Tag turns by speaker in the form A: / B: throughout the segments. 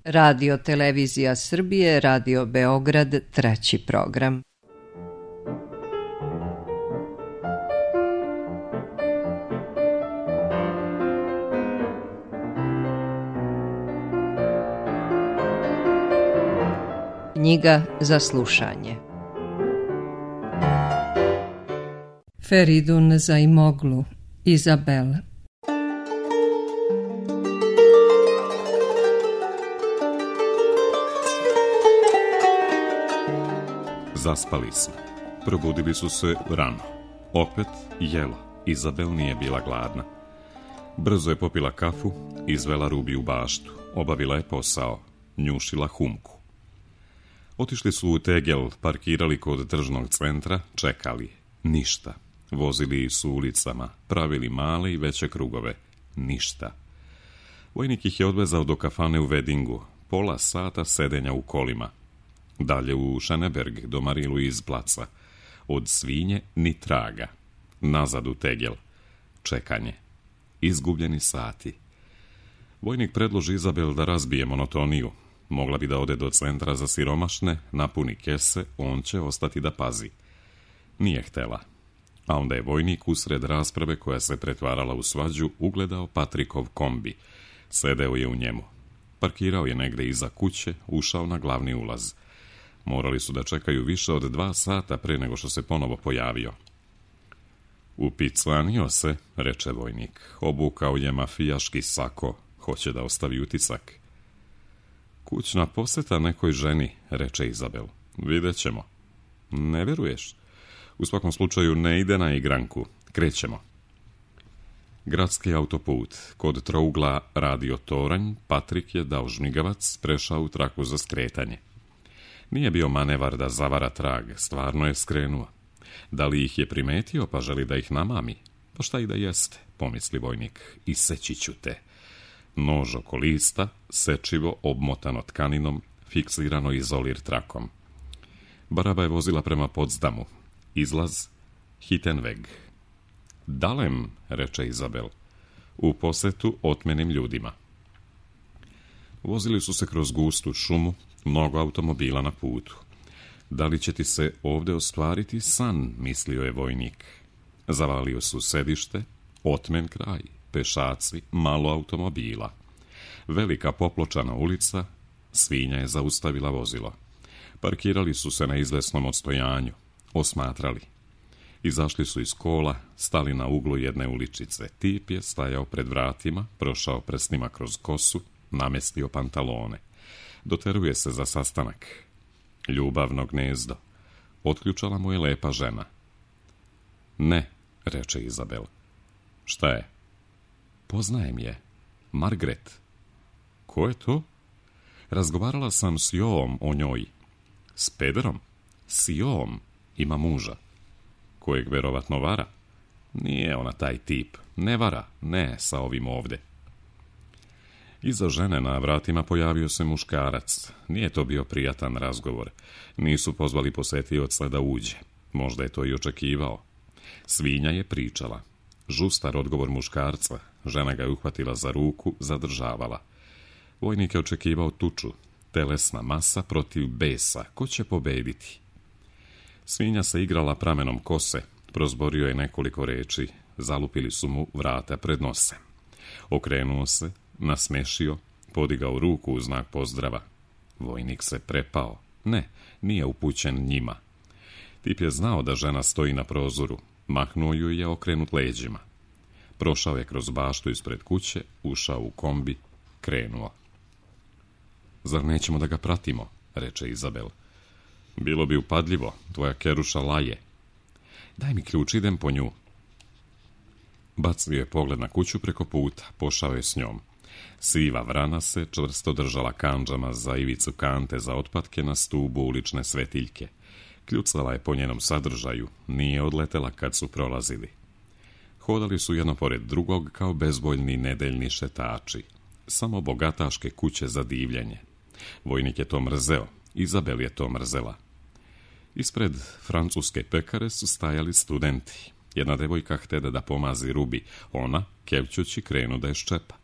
A: Radio Televizija Srbije, Radio Beograd, 3. program. Knjiga za slušanje. Feridun Zaimoglu, Izabel.
B: Zaspali su. Probudili su se rano. Opet jelo. Izabel nije bila gladna. Brzo je popila kafu, izvela Rubi u baštu. Obavila je posao. Njušila humku. Otišli su u Tegel, parkirali kod tržnog centra, čekali. Ništa. Vozili su ulicama, pravili male i veće krugove. Ništa. Vojnik ih je odvezao do kafane u Vedingu. Pola sata sedenja u kolima. Dalje u Šeneberg, do Marilu iz placa. Od svinje ni traga. Nazad u Tegel. Čekanje. Izgubljeni sati. Vojnik predloži Izabel da razbije monotoniju. Mogla bi da ode do centra za siromašne, napuni kese, on će ostati da pazi. Nije htela. A onda je vojnik usred rasprave koja se pretvarala u svađu ugledao Patrikov kombi. Sedeo je u njemu. Parkirao je negde iza kuće, ušao na glavni ulaz. Morali su da čekaju više od 2 sata pre nego što se ponovo pojavio. Upiclanio se, reče vojnik. Obukao je mafijaški sako, hoće da ostavi utisak. Kućna poseta nekoj ženi, reče Izabel. Vidjet ćemo. Ne veruješ? U svakom slučaju ne ide na igranku. Krećemo. Gradski autoput. Kod trougla Radio Toranj, Patrik je dao žmigavac, prešao u traku za skretanje. Nije bio manevar da zavara trag, stvarno je skrenuo. Da li ih je primetio pa želi da ih namami? Pa šta i da jeste, pomisli vojnik. Iseći ću te. Nož oko lista, sečivo, obmotano tkaninom, fiksirano izolir trakom. Baraba je vozila prema Potsdamu. Izlaz Hittenweg. Dalem, reče Izabel, u posetu otmenim ljudima. Vozili su se kroz gustu šumu, mnogo automobila na putu. Da li će ti se ovde ostvariti san, mislio je vojnik. Zavalio su sedište, otmen kraj, pešaci, malo automobila. Velika popločana ulica, svinja je zaustavila vozilo. Parkirali su se na izvesnom odstojanju, osmatrali. Izašli su iz kola, stali na uglu jedne uličice. Tip je stajao pred vratima, prošao prstima kroz kosu, namestio pantalone. Doteruje se za sastanak. Ljubavno gnezdo. Otključala mu je lepa žena. Ne, reče Izabel. Šta je? Poznajem je. Margaret. Ko je to? Razgovarala sam s Joom o njoj. S pederom? S Joom. Ima muža. Kojeg verovatno vara? Nije ona taj tip. Ne vara. Ne, sa ovim ovde. Iza žene na vratima pojavio se muškarac. Nije to bio prijatan razgovor. Nisu pozvali posetioca da uđe. Možda je to i očekivao. Svinja je pričala. Žustar odgovor muškarca. Žena ga je uhvatila za ruku, zadržavala. Vojnik je očekivao tuču. Telesna masa protiv besa. Ko će pobediti? Svinja se igrala pramenom kose. Prozborio je nekoliko reči. Zalupili su mu vrata pred nosem. Okrenuo se, nasmešio, podigao ruku u znak pozdrava. Vojnik se prepao. Ne, nije upućen njima. Tip je znao da žena stoji na prozoru. Mahnuo ju je okrenut leđima. Prošao je kroz baštu ispred kuće, ušao u kombi, krenuo. Zar nećemo da ga pratimo, reče Izabel. Bilo bi upadljivo, tvoja keruša laje. Daj mi ključ, idem po nju. Bacio je pogled na kuću preko puta, pošao je s njom. Siva vrana se čvrsto držala kandžama za ivicu kante za otpatke na stubu ulične svetiljke. Kljucala je po njenom sadržaju, nije odletela kad su prolazili. Hodali su jedno pored drugog kao bezvoljni nedeljni šetači. Samo bogataške kuće za divljenje. Vojnik je to mrzeo, Izabel je to mrzela. Ispred francuske pekare su stajali studenti. Jedna devojka htede da pomazi Rubi, ona, kevćući, krenu da je ščepa.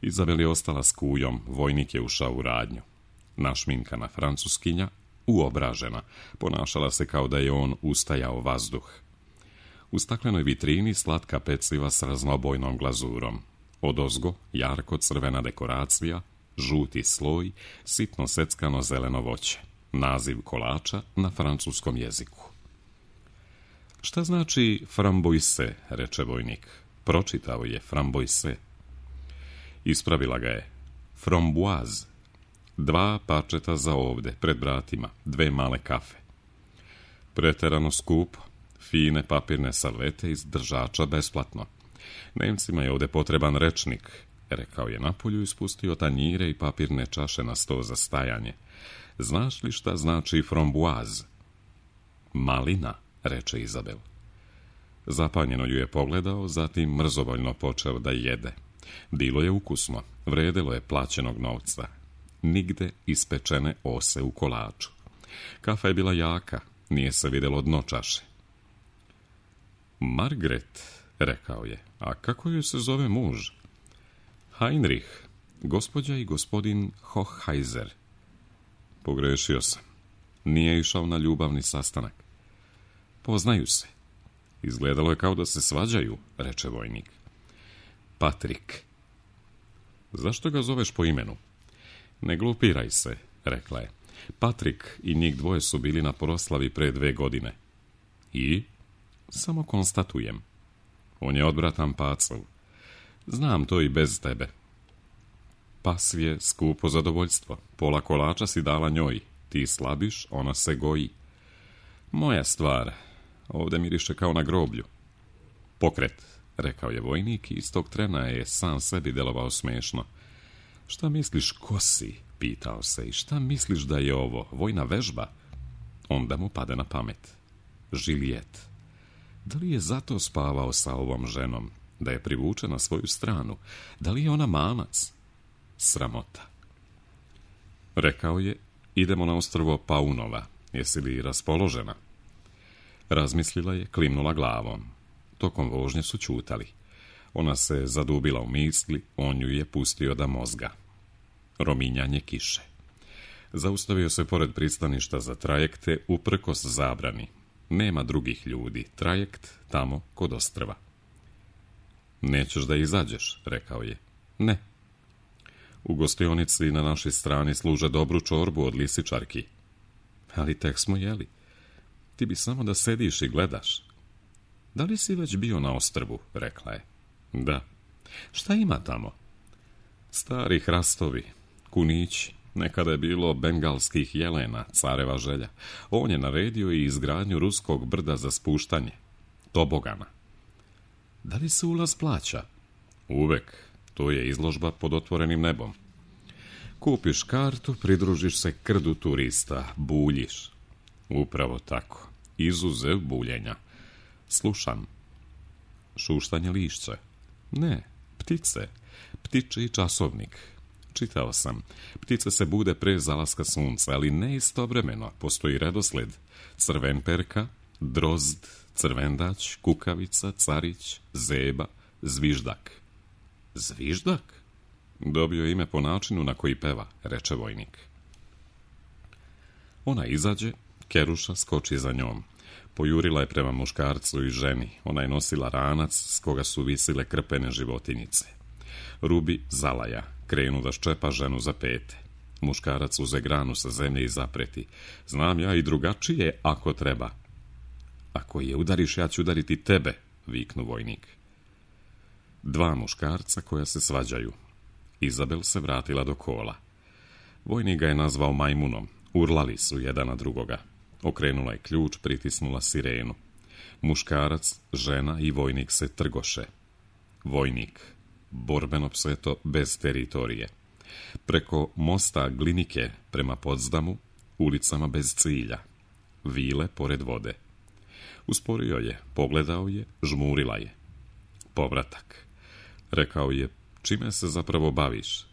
B: Izabel je ostala s kujom, vojnik je ušao u radnju. Našminkana francuskinja, uobražena, ponašala se kao da je on ustajao vazduh. U staklenoj vitrini slatka peciva s raznobojnom glazurom. Odozgo jarko crvena dekoracija, žuti sloj, sitno seckano zeleno voće. Naziv kolača na francuskom jeziku. Šta znači framboise, reče vojnik. Pročitao je framboise. Ispravila ga je. Framboise. 2 pačeta za ovde, pred vratima, 2 male kafe. Preterano skupo, fine papirne salvete iz držača besplatno. Nemcima je ovde potreban rečnik, rekao je napolju i spustio tanjire i papirne čaše na sto za stajanje. Znaš li šta znači framboise? Malina, reče Izabel. Zapanjeno ju je pogledao, zatim mrzovoljno počeo da jede. Bilo je ukusno, vredelo je plaćenog novca. Nigde ispečene ose u kolaču. Kafa je bila jaka, nije se vidjelo dno čaše. Margaret, rekao je, a kako joj se zove muž? Heinrich, gospođa i gospodin Hochheiser. Pogrešio sam. Nije išao na ljubavni sastanak. Poznaju se. Izgledalo je kao da se svađaju, reče vojnik. Patrik. Zašto ga zoveš po imenu? Ne glupiraj se, rekla je. Patrik i njih dvoje su bili na proslavi pre 2 godine. I? Samo konstatujem. On je odbratan pacov. Znam to i bez tebe. Pas je skupo zadovoljstvo. Pola kolača si dala njoj. Ti slabiš, ona se goji. Moja stvar. Ovde miriše kao na groblju. Pokret, rekao je vojnik i iz tog trena je sam sebi delovao smešno. Šta misliš, ko si? Pitao se. I šta misliš da je ovo? Vojna vežba? Onda mu pade na pamet. Juliet. Da li je zato spavao sa ovom ženom? Da je privuče na svoju stranu? Da li je ona mamac? Sramota. Rekao je, idemo na ostrvo Paunova. Jesi li raspoložena? Razmislila je, klimnula glavom. Tokom vožnje su ćutali. Ona se zadubila u misli, on ju je pustio da mozga. Rominjanje kiše. Zaustavio se pored pristaništa za trajekte, uprkos zabrani. Nema drugih ljudi, trajekt tamo kod ostrva. Nećeš da izađeš, rekao je. Ne. U gostionici na našoj strani služe dobru čorbu od lisičarki. Ali tek smo jeli. Ti bi samo da sediš i gledaš. Da li si već bio na ostrvu, rekla je. Da. Šta ima tamo? Stari hrastovi, kunići. Nekada je bilo bengalskih jelena, careva želja. On je naredio i izgradnju ruskog brda za spuštanje. Tobogana. Da li se ulaz plaća? Uvek. To je izložba pod otvorenim nebom. Kupiš kartu, pridružiš se krdu turista, buljiš. Upravo tako. Izuzev buljenja. Slušam. Šuštanje lišća. Ne, ptice. Ptičji časovnik. Čitao sam. Ptice se bude pre zalaska sunca, ali ne istovremeno. Postoji redosled. Crvenperka, drozd, crvendać, kukavica, carić, zeba, zviždak. Zviždak? Dobio je ime po načinu na koji peva, reče vojnik. Ona izađe, Keruša skoči za njom. Pojurila je prema muškarcu i ženi. Ona je nosila ranac s koga su visile krpene životinjice. Rubi zalaja, krenu da ščepa ženu za pete. Muškarac uze granu sa zemlje i zapreti. Znam ja i drugačije, ako treba. Ako je udariš, ja ću udariti tebe, viknu vojnik. 2 muškarca koja se svađaju. Izabel se vratila do kola. Vojnik ga je nazvao majmunom. Urlali su jedan na drugoga. Okrenula je ključ, pritisnula sirenu. Muškarac, žena i vojnik se trgoše. Vojnik. Borbeno pseto bez teritorije. Preko mosta Glinike prema Potsdamu, ulicama bez cilja. Vile pored vode. Usporio je, pogledao je, žmurila je. Povratak. Rekao je, čime se zapravo baviš?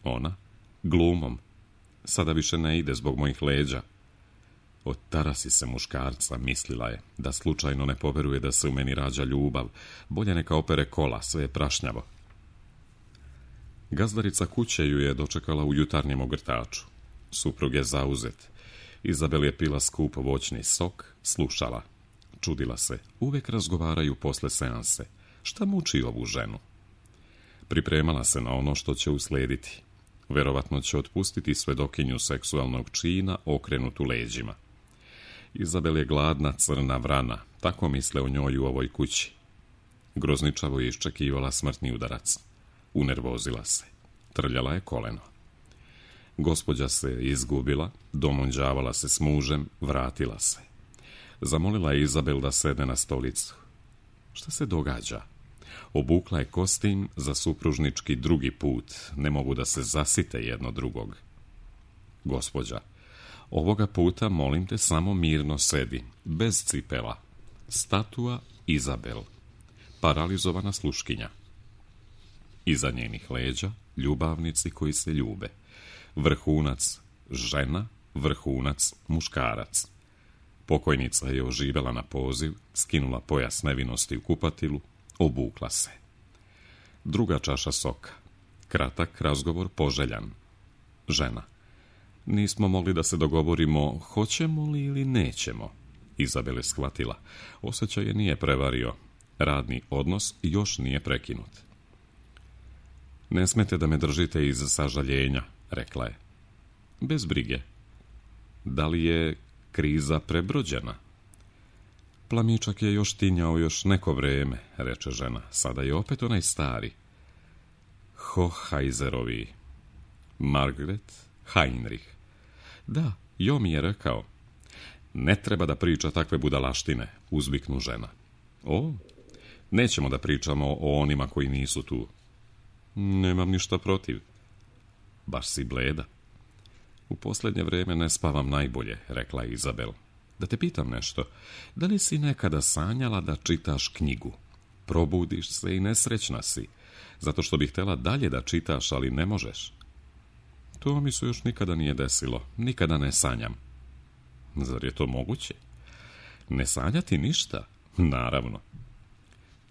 B: Ona, glumom. Sada više ne ide zbog mojih leđa. Otarasi se muškarca, mislila je, da slučajno ne poveruje da se u meni rađa ljubav. Bolje neka opere kola, sve je prašnjavo. Gazdarica kuće ju je dočekala u jutarnjem ogrtaču. Suprug je zauzet. Izabel je pila skup voćni sok, slušala. Čudila se, uvijek razgovaraju posle seanse. Šta muči ovu ženu? Pripremala se na ono što će uslijediti. Verovatno će otpustiti svedokinju seksualnog čina okrenutu leđima. Izabel je gladna crna vrana, tako misle o njoj u ovoj kući. Grozničavo je iščekivala smrtni udarac. Unervozila se. Trljala je koleno. Gospođa se izgubila, domunđavala se s mužem, vratila se. Zamolila je Izabel da sedne na stolicu. Šta se događa? Obukla je kostim za supružnički drugi put. Ne mogu da se zasite jedno drugog. Gospođa, ovoga puta molim te samo mirno sedi, bez cipela. Statua Izabel. Paralizovana sluškinja. Iza njenih leđa ljubavnici koji se ljube. Vrhunac žena, vrhunac muškarac. Pokojnica je oživela na poziv, skinula pojas nevinosti u kupatilu, obukla se. Druga čaša soka. Kratak razgovor poželjan. Žena. Nismo mogli da se dogovorimo hoćemo li ili nećemo. Izabel je shvatila. Osjećaj je nije prevario. Radni odnos još nije prekinut. Ne smete da me držite iz sažaljenja, rekla je. Bez brige. Da li je kriza prebrođena? Plamičak je još tinjao još neko vreme, reče žena. Sada je opet onaj stari. Hohajzerovi. Margaret Heinrich. Da, Jo mi je rekao. Ne treba da priča takve budalaštine, uzviknu žena. O, nećemo da pričamo o onima koji nisu tu. Nemam ništa protiv. Baš si bleda. U posljednje vrijeme ne spavam najbolje, rekla je Izabel. Da te pitam nešto, da li si nekada sanjala da čitaš knjigu? Probudiš se i nesrećna si, zato što bih htjela dalje da čitaš, ali ne možeš. To mi se još nikada nije desilo, nikada ne sanjam. Zar je to moguće? Ne sanjati ništa? Naravno.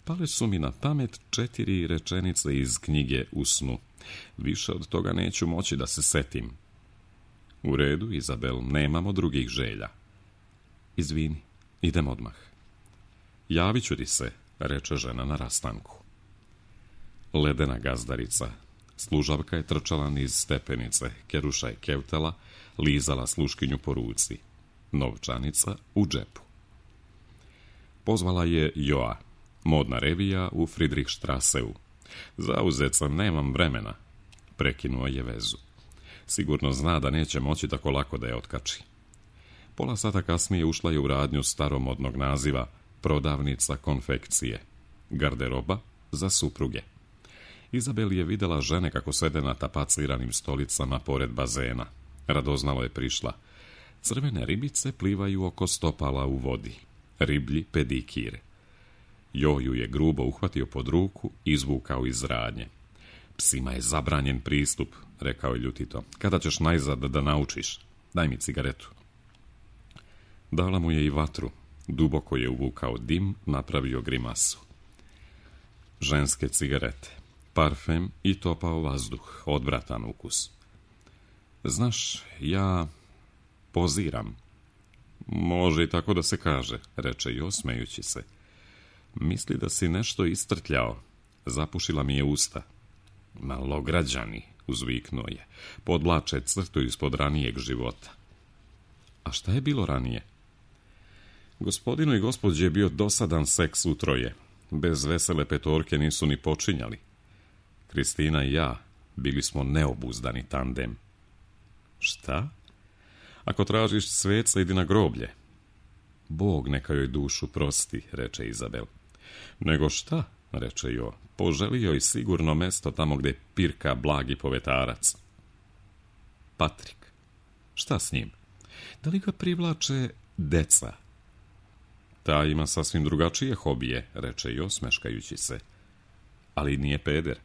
B: Pale su mi na pamet 4 rečenice iz knjige u snu. Više od toga neću moći da se setim. U redu, Izabel, nemamo drugih želja. Izvini, idem odmah. Javit ću ti se, reče žena na rastanku. Ledena gazdarica. Služavka je trčala niz stepenice, Keruša je kevtala, lizala sluškinju po ruci. Novčanica u džepu. Pozvala je Joa, modna revija u Friedrichstrasseu. Zauzet sam, nemam vremena. Prekinuo je vezu. Sigurno zna da neće moći tako lako da je otkači. Pola sata kasnije ušla je u radnju staromodnog naziva prodavnica konfekcije. Garderoba za supruge. Izabel je vidjela žene kako sede na tapaciranim stolicama pored bazena. Radoznalo je prišla. Crvene ribice plivaju oko stopala u vodi. Riblji pedikir. Joju je grubo uhvatio pod ruku i izvukao iz radnje. Psima je zabranjen pristup, rekao je ljutito. Kada ćeš najzad da naučiš? Daj mi cigaretu. Dala mu je i vatru. Duboko je uvukao dim, napravio grimasu. Ženske cigarete. Parfem i topao vazduh, odvratan ukus. Znaš, ja poziram. Može i tako da se kaže, reče Jo, smejući se. Misli da si nešto istrtljao. Zapušila mi je usta. Malograđani, uzviknuo je. Podvlače crtu ispod ranijeg života. A šta je bilo ranije? Gospodinu i gospođi je bio dosadan seks utroje. Bez vesele petorke nisu ni počinjali. Kristina i ja bili smo neobuzdani tandem. Šta? Ako tražiš sveca, idi na groblje. Bog neka joj dušu prosti, reče Izabel. Nego šta, reče Jo, poželio i sigurno mesto tamo gde pirka blagi povetarac. Patrik. Šta s njim? Da li ga privlače deca? Ta ima sasvim drugačije hobije, reče Jo, smeškajući se. Ali nije peder.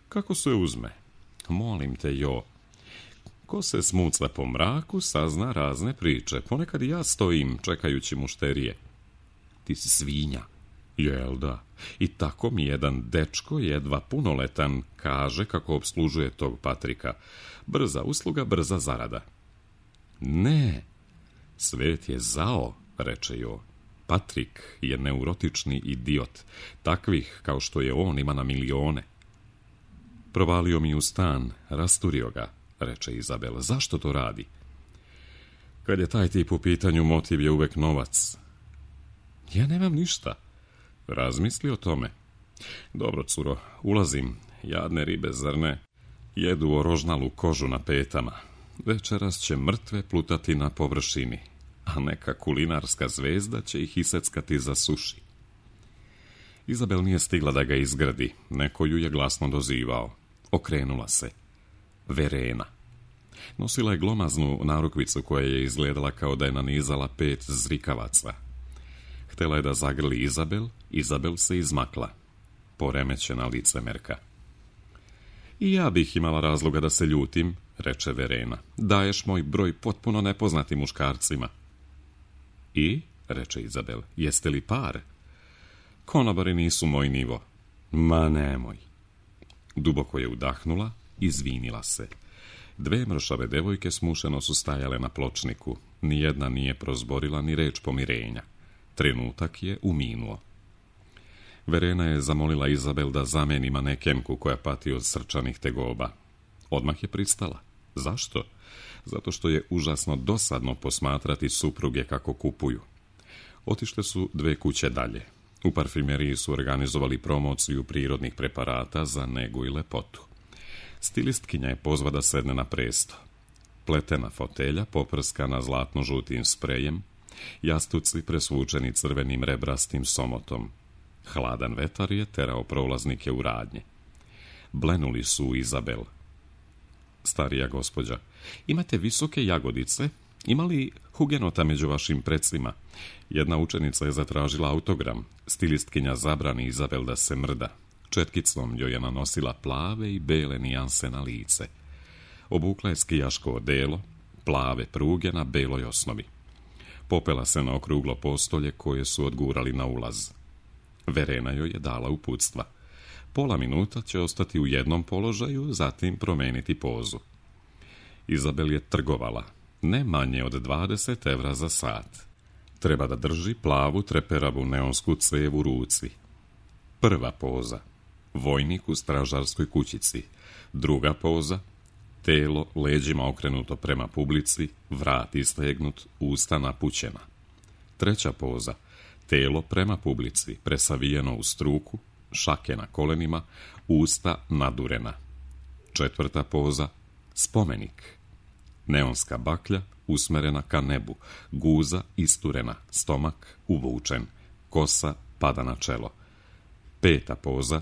B: Kako se uzme? Molim te, Jo. Ko se smucla po mraku, sazna razne priče. Ponekad i ja stojim, čekajući mušterije. Ti si svinja. Jel da? I tako mi jedan dečko, jedva punoletan, kaže kako obslužuje tog Patrika. Brza usluga, brza zarada. Ne, svet je zao, reče Jo. Patrik je neurotični idiot. Takvih kao što je on ima na milione. Provalio mi u stan, rasturio ga, reče Izabel. Zašto to radi? Kad je taj tip u pitanju, motiv je uvek novac. Ja nemam ništa. Razmisli o tome. Dobro, curo, ulazim. Jadne ribe, zar ne? Jedu orožnalu kožu na petama. Večeras će mrtve plutati na površini, a neka kulinarska zvezda će ih iseckati za suši. Izabel nije stigla da ga izgradi. Neko ju je glasno dozivao. Okrenula se. Verena. Nosila je glomaznu narukvicu koja je izgledala kao da je nanizala 5 zrikavaca. Htela je da zagrli Izabel, Izabel se izmakla. Poremećena licemerka. I ja bih imala razloga da se ljutim, reče Verena. Daješ moj broj potpuno nepoznatim muškarcima. I, reče Izabel, jeste li par? Konobari nisu moj nivo. Ma nemoj. Duboko je udahnula, izvinila se. 2 mršave devojke smušeno su stajale na pločniku. Nijedna nije prozborila ni reč pomirenja. Trenutak je uminuo. Verena je zamolila Izabel da zameni manekenku koja pati od srčanih tegoba. Odmah je pristala. Zašto? Zato što je užasno dosadno posmatrati supruge kako kupuju. Otišle su 2 kuće dalje. U parfimeriji su organizovali promociju prirodnih preparata za negu i lepotu. Stilistkinja je pozva da sedne na presto. Pletena fotelja poprskana zlatno-žutim sprejem, jastuci presvučeni crvenim rebrastim somotom. Hladan vetar je terao prolaznike u radnje. Blenuli su u Izabel. Starija gospođa, imate visoke jagodice? Ima li hugenota među vašim precima? Jedna učenica je zatražila autogram. Stilistkinja zabrani Izabel da se mrda. Četkicom joj je nanosila plave i bele nijanse na lice. Obukla je skijaško odelo, plave pruge na beloj osnovi. Popela se na okruglo postolje koje su odgurali na ulaz. Verena joj je dala uputstva. Pola minuta će ostati u jednom položaju, zatim promeniti pozu. Izabel je trgovala, ne manje od 20 evra za sat. Treba da drži plavu treperavu neonsku cev u ruci. Prva poza, vojnik u stražarskoj kućici. Druga poza, telo leđima okrenuto prema publici, vrat istegnut, usta napućena. Treća poza, telo prema publici, presavijeno u struku, šake na kolenima, usta nadurena. Četvrta poza, spomenik. Neonska baklja usmerena ka nebu, guza isturena, stomak uvučen, kosa pada na čelo. Peta poza,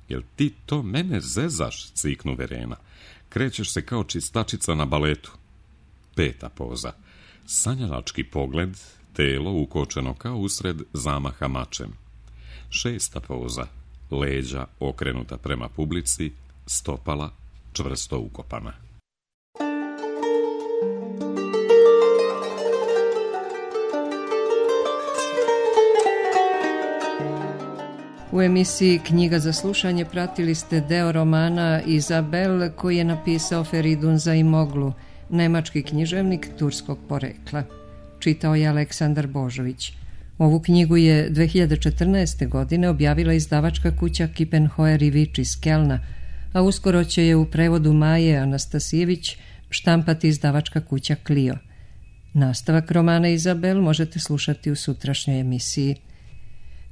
B: jel ti to mene zezaš, ciknu Verena. Krećeš se kao čistačica na baletu. Peta poza, sanjalački pogled, telo ukočeno kao usred zamaha mačem. Šesta poza, leđa okrenuta prema publici, stopala čvrsto ukopana.
A: U emisiji Knjiga za slušanje pratili ste deo romana Izabel koji je napisao Feridun Zaimoglu, nemački književnik turskog porekla. Čitao je Aleksandar Božović. Ovu knjigu je 2014. godine objavila izdavačka kuća Kippenhoer i Vič iz Kelna, a uskoro će je u prevodu Maje Anastasijević štampati izdavačka kuća Clio. Nastavak romana Izabel možete slušati u sutrašnjoj emisiji.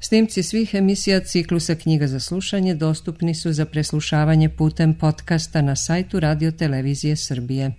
A: Snimci svih emisija ciklusa Knjiga za slušanje dostupni su za preslušavanje putem podcasta na sajtu Radio Televizije Srbije.